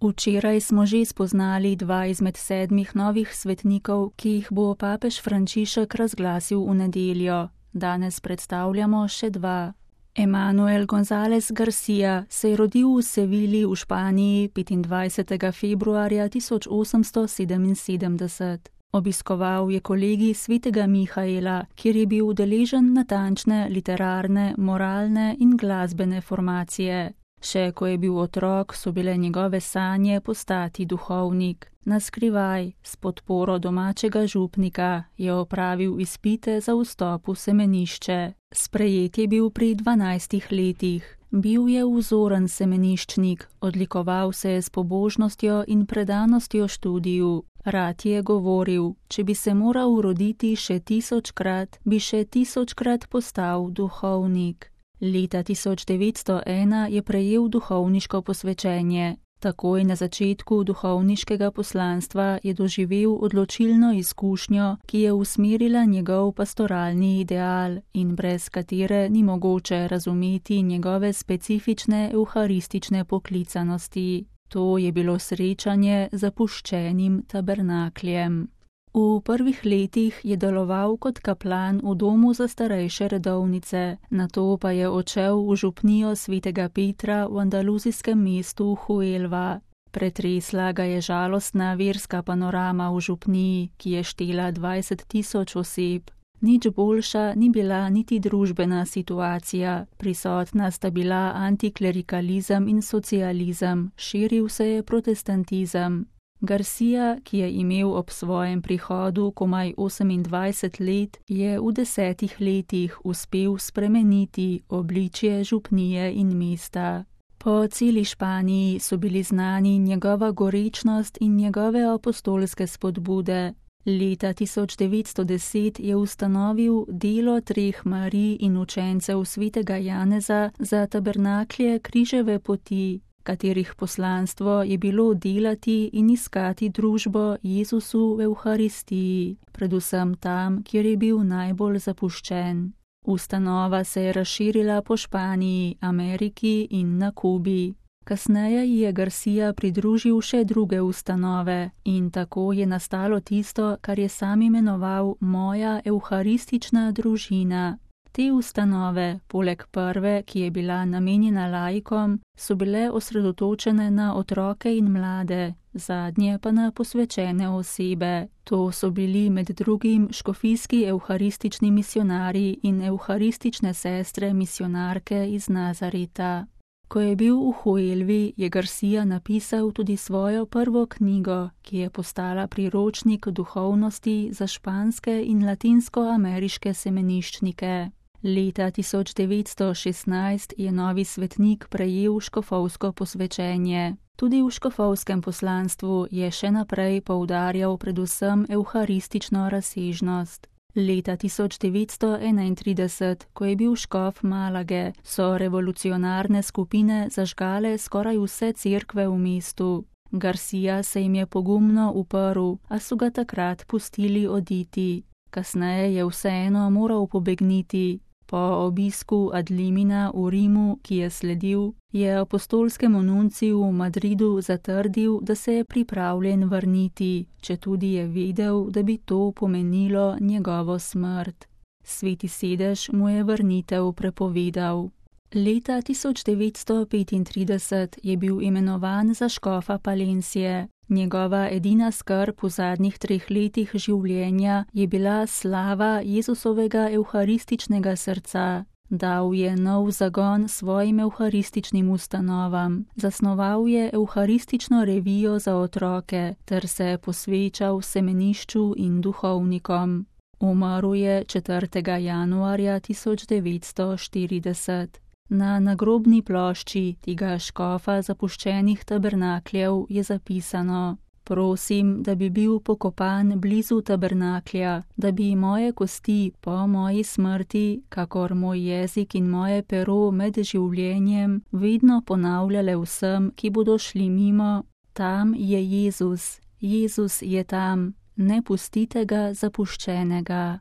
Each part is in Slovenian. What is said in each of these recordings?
Včeraj smo že spoznali 2 izmed 7 novih svetnikov, ki jih bo papež Frančišek razglasil v nedeljo. Danes predstavljamo še 2. Emanuel González García se je rodil v Sevilji v Španiji 25. februarja 1877. Obiskoval je kolegij svetega Mihaela, kjer je bil udeležen natančne literarne, moralne in glasbene formacije. Še ko je bil otrok, so bile njegove sanje postati duhovnik. Naskrivaj, s podporo domačega župnika, je opravil izpite za vstop v semenišče. Sprejet je bil pri 12 letih. Bil je vzoren semeniščnik, odlikoval se je s pobožnostjo in predanostjo študiju. Rad je govoril, če bi se moral roditi še 1000-krat, bi še 1000-krat postal duhovnik. Leta 1901 je prejel duhovniško posvečenje. Takoj na začetku duhovniškega poslanstva je doživel odločilno izkušnjo, ki je usmerila njegov pastoralni ideal in brez katere ni mogoče razumeti njegove specifične evharistične poklicanosti. To je bilo srečanje z zapuščenim tabernakljem. V prvih letih je deloval kot kaplan v domu za starejše redovnice, nato pa je odšel v župnijo svetega Petra v andaluzijskem mestu Huelva. Pretresla ga je žalostna verska panorama v župniji, ki je štela 20 000 oseb. Nič boljša ni bila niti družbena situacija, prisotna sta bila antiklerikalizem in socializem, širil se je protestantizem. García, ki je imel ob svojem prihodu komaj 28 let, je v 10 letih uspel spremeniti obličje župnije in mesta. Po celi Španiji so bili znani njegova gorečnost in njegove apostolske spodbude. Leta 1910 je ustanovil delo 3 Marij in učencev svetega Janeza za tabernaklje Križeve poti, katerih poslanstvo je bilo delati in iskati družbo Jezusu v Evharistiji, predvsem tam, kjer je bil najbolj zapuščen. Ustanova se je razširila po Španiji, Ameriki in na Kubi. Kasneje je García pridružil še druge ustanove in tako je nastalo tisto, kar je sam imenoval moja evharistična družina. Te ustanove, poleg prve, ki je bila namenjena laikom, so bile osredotočene na otroke in mlade, zadnje pa na posvečene osebe. To so bili med drugim škofijski evharistični misionarji in evharistične sestre misionarke iz Nazareta. Ko je bil v Huelvi, je García napisal tudi svojo prvo knjigo, ki je postala priročnik duhovnosti za španske in latinskoameriške semeniščnike. Leta 1916 je novi svetnik prejel škofovsko posvečenje. Tudi v škofovskem poslanstvu je še naprej poudarjal predvsem evharistično razsežnost. Leta 1931, ko je bil škof Malage, so revolucionarne skupine zažgale skoraj vse cerkve v mestu. García se jim je pogumno uprl, a so ga takrat pustili oditi. Kasneje je vseeno moral pobegniti. Po obisku Adlimina v Rimu, ki je sledil, je apostolskemu nunciju v Madridu zatrdil, da se je pripravljen vrniti, četudi je vedel, da bi to pomenilo njegovo smrt. Sveti sedež mu je vrnitev prepovedal. Leta 1935 je bil imenovan za škofa Palencije. Njegova edina skrb v zadnjih 3 letih življenja je bila slava Jezusovega evharističnega srca. Dal je nov zagon svojim evharističnim ustanovam, zasnoval je evharistično revijo za otroke ter se posvečal semenišču in duhovnikom. Umrl je 4. januarja 1940. Na nagrobni plošči tega škofa zapuščenih tabernakljev je zapisano: Prosim, da bi bil pokopan blizu tabernaklja, da bi moje kosti po moji smrti, kakor moj jezik in moje pero med življenjem, vedno ponavljale vsem, ki bodo šli mimo: Tam je Jezus, Jezus je tam, ne pustite ga zapuščenega.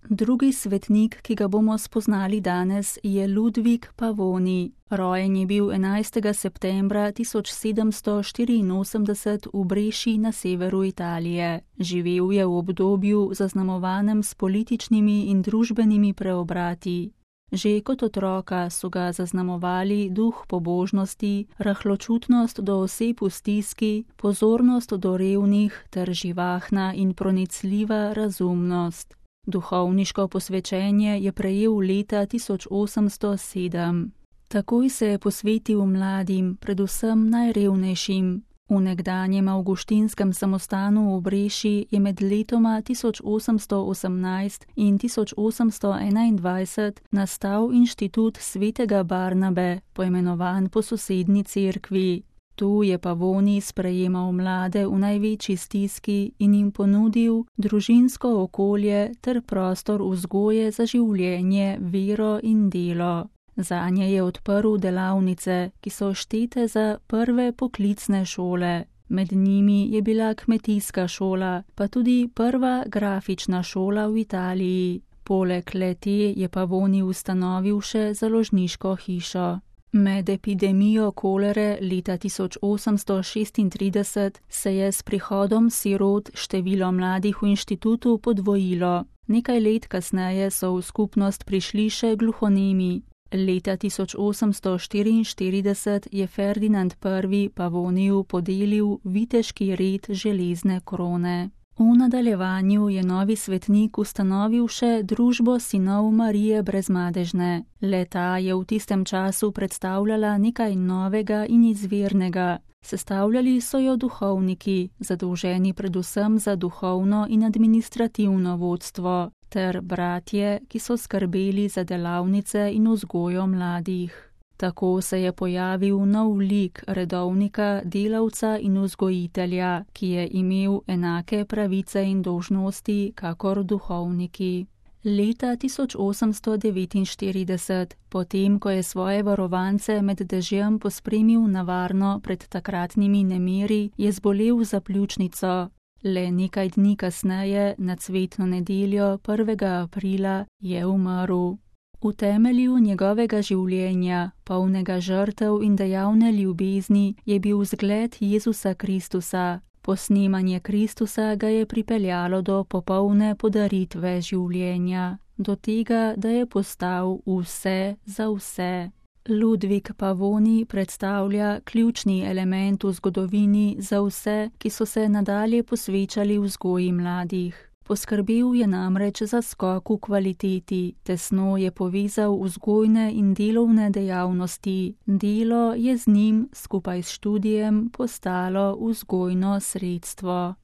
Drugi svetnik, ki ga bomo spoznali danes, je Ludvik Pavoni. Rojen je bil 11. septembra 1784 v Breši na severu Italije. Živel je v obdobju zaznamovanem s političnimi in družbenimi preobrati. Že kot otroka so ga zaznamovali duh pobožnosti, rahločutnost do oseb v stiski, pozornost do revnih ter živahna in pronicljiva razumnost. Duhovniško posvečenje je prejel leta 1807. Takoj se je posvetil mladim, predvsem najrevnejšim. V nekdanjem avguštinskem samostanu v Breši je med letoma 1818 in 1821 nastal inštitut svetega Barnabe, poimenovan po sosednji cerkvi. Tu je Pavoni sprejemal mlade v največji stiski in jim ponudil družinsko okolje ter prostor vzgoje za življenje, vero in delo. Zanje je odprl delavnice, ki so štete za prve poklicne šole. Med njimi je bila kmetijska šola, pa tudi prva grafična šola v Italiji. Poleg le-te je Pavoni ustanovil še založniško hišo. Med epidemijo kolere leta 1836 se je s prihodom sirot število mladih v inštitutu podvojilo. Nekaj let kasneje so v skupnost prišli še gluhonemi. Leta 1844 je Ferdinand I. Pavoniju podelil viteški red železne krone. V nadaljevanju je novi svetnik ustanovil še družbo sinov Marije Brezmadežne. Le-ta je v tistem času predstavljala nekaj novega in izvirnega. Sestavljali so jo duhovniki, zadolženi predvsem za duhovno in administrativno vodstvo, ter bratje, ki so skrbeli za delavnice in vzgojo mladih. Tako se je pojavil nov lik redovnika, delavca in vzgojitelja, ki je imel enake pravice in dolžnosti kakor duhovniki. Leta 1849, potem ko je svoje varovance med dežjem pospremil na varno pred takratnimi nemiri, je zbolel za pljučnico. Le nekaj dni kasneje, na cvetno nedeljo 1. aprila, je umrl. V temelju njegovega življenja, polnega žrtev in dejavne ljubezni, je bil zgled Jezusa Kristusa. Posnemanje Kristusa ga je pripeljalo do popolne podaritve življenja, do tega, da je postal vse za vse. Ludvik Pavoni predstavlja ključni element v zgodovini za vse, ki so se nadalje posvečali vzgoji mladih. Poskrbel je namreč za skok v kvaliteti, tesno je povezal vzgojne in delovne dejavnosti. Delo je z njim skupaj s študijem postalo vzgojno sredstvo.